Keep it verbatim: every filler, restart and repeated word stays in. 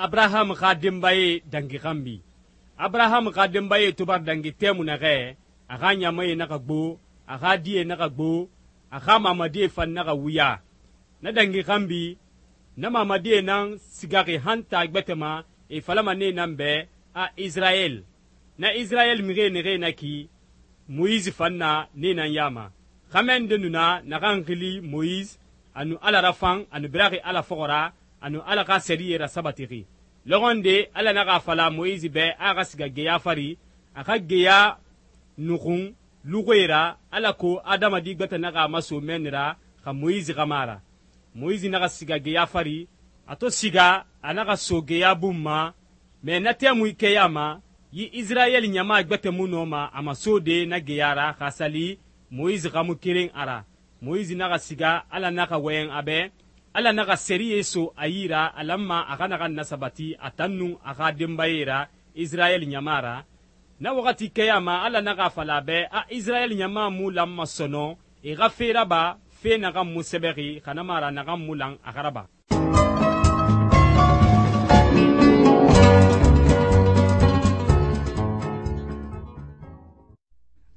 Abraham xa denbaye dangi xanbi. Abraham xa denbaye to bara dangi tɛmui naxɛ, a xa ɲamae naxa gbo, a xa die naxa gbo, a xa mamadie fan naxa wuya. Na dangi xanbi, na mamadie nan sigaxi han taa gbɛtɛ ma, e falama nee nan bɛ a Israyɛl. Na Israyɛl mixie naxee na ki, Moyise fan na nee nan ya ma. Xɛmɛ nde nu na naxan xili Moyise, a nu Ala rafan, a nu biraxi Ala fɔxɔ ra, a nu Ala xa sɛriyɛ rasabatixi. Lɔxɔ nde Ala naxa a fala Moyise bɛ a xa siga geya fari, a xa geya nuxun luxuie ra, alako adamadi gbɛtɛ naxa a maso mɛnni ra xa Moyise xa ma ra. Moyise naxa siga geya fari, a to siga a naxa so geya bun ma, mɛ na tɛmui kɛya ma, yi Israyɛl ɲama gbɛtɛ mu nɔma a masode na geya ra xa sali Moyise xa mu keren a ra. Moyise naxa siga, Ala naxa wɔyɛn a bɛ, Ala naxa sɛriyɛ so a yi ra a lanma a xa naxan nasabati a tan nun a xa denbaye ra Israyɛl ɲama ra. Na waxati kɛya ma Ala naxa a fala a bɛ a Israyɛl ɲama mu lanma sɔnɔn e xa fe raba fe naxan mu sɛbɛxi xa na ma ra naxan mu lan a xa raba.